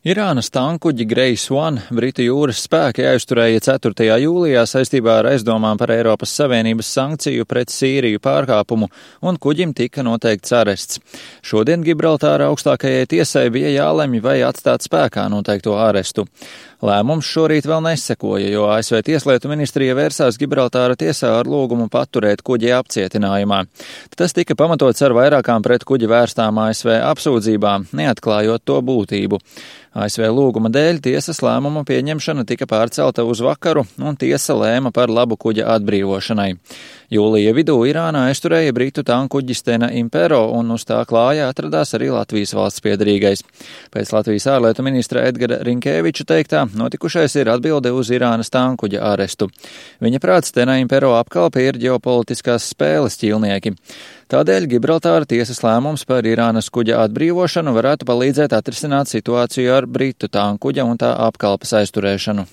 Irānas tankuģi Grace One Britu jūras spēki aizturēja 4. jūlijā saistībā ar aizdomām par Eiropas Savienības sankciju pret Sīriju pārkāpumu, un kuģim tika noteikts arests. Šodien Gibraltāra augstākajai tiesai bija jālemj, vai atstāt spēkā noteikto arestu. Lēmums šorīt vēl nesekoja, jo ASV Tieslietu ministrija vērsās Gibraltāra tiesā ar lūgumu paturēt kuģi apcietinājumā. Tas tika pamatots ar vairākām pret kuģi vērstām ASV apsūdzībām, neatklājot to būtību. ASV lūguma dēļ tiesas lēmuma pieņemšana tika pārcelta uz vakaru, un tiesa lēma par labu kuģa atbrīvošanai. Jūlija vidū Irānā aizturēja britu tankuģi Stena Impero, un uz tā klājā atradās arī Latvijas valsts piedarīgais. Pēc Latvijas ārlietu ministra Edgara Rinkēviča teiktā, notikušais ir atbilde uz Irānas tankuģa arestu. Viņa prāt Stena Impero apkalpe ir ģeopolitiskās spēles ķīlnieki. Tādēļ Gibraltāra tiesas lēmums par Irānas kuģa atbrīvošanu varētu palīdzēt atrisināt situāciju ar britu tankuģa un tā apkalpes aizturēšanu.